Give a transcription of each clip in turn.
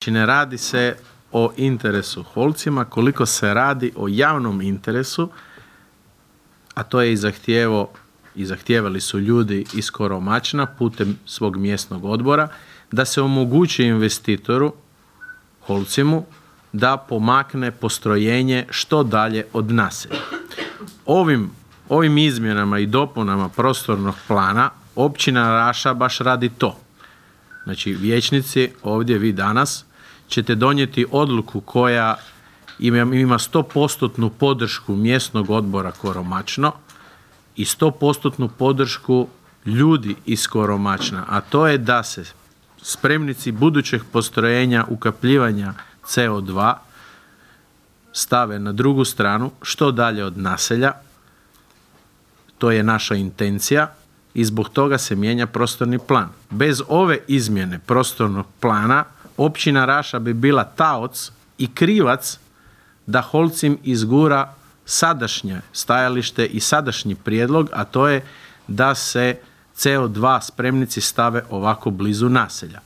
Znači ne radi se o interesu Holcima koliko se radi o javnom interesu, a to je i zahtijevali su ljudi iz Koromačna putem svog mjesnog odbora, da se omogući investitoru Holcimu da pomakne postrojenje što dalje od naselja. Ovim izmjenama i dopunama prostornog plana općina Raša baš radi to. Znači vijećnici, ovdje vi danas ćete donijeti odluku koja ima 100% podršku mjesnog odbora Koromačno i 100% podršku ljudi iz Koromačna, a to je da se spremnici budućeg postrojenja ukapljivanja CO2 stave na drugu stranu, što dalje od naselja. To je naša intencija i zbog toga se mijenja prostorni plan. Bez ove izmjene prostornog plana općina Raša bi bila taoc i krivac da Holcim izgura sadašnje stajalište i sadašnji prijedlog, a to je da se CO2 spremnici stave ovako blizu naselja.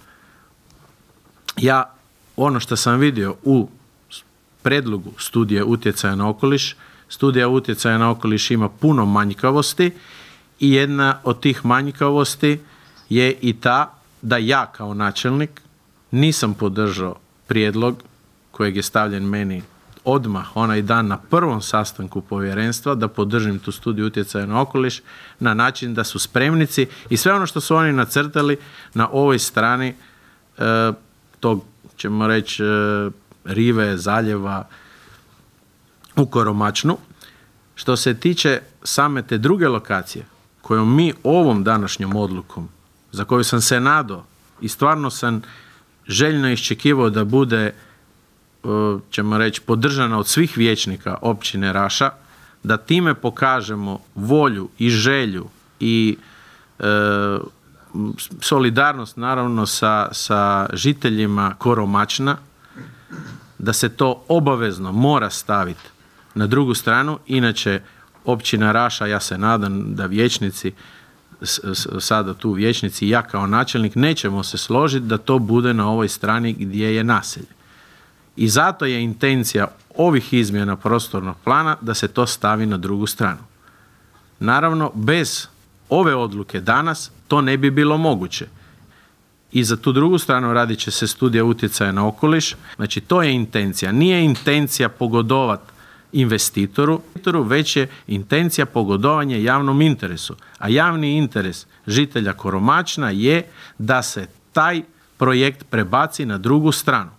Ja, ono što sam vidio u predlogu studije utjecaja na okoliš, studija utjecaja na okoliš ima puno manjkavosti i jedna od tih manjkavosti je i ta da ja kao načelnik nisam podržao prijedlog kojeg je stavljen meni odmah onaj dan na prvom sastanku povjerenstva da podržim tu studiju utjecaja na okoliš na način da su spremnici i sve ono što su oni nacrtali na ovoj strani tog, ćemo reći, rive, zaljeva u Koromačnu. Što se tiče same te druge lokacije kojom mi ovom današnjom odlukom, za koju sam se nadao i stvarno sam željno iščekivao da bude, ćemo reći, podržana od svih vijećnika općine Raša, da time pokažemo volju i želju i solidarnost naravno sa žiteljima Koromačna, da se to obavezno mora staviti na drugu stranu, inače općina Raša, ja se nadam da vijećnici, sada tu vijećnici i ja kao načelnik nećemo se složiti da to bude na ovoj strani gdje je naselje. I zato je intencija ovih izmjena prostornog plana da se to stavi na drugu stranu. Naravno, bez ove odluke danas to ne bi bilo moguće. I za tu drugu stranu radit će se studija utjecaja na okoliš. Znači, to je intencija. Nije intencija pogodovati investitoru, već je intencija pogodovanje javnom interesu. A javni interes žitelja Koromačna je da se taj projekt prebaci na drugu stranu.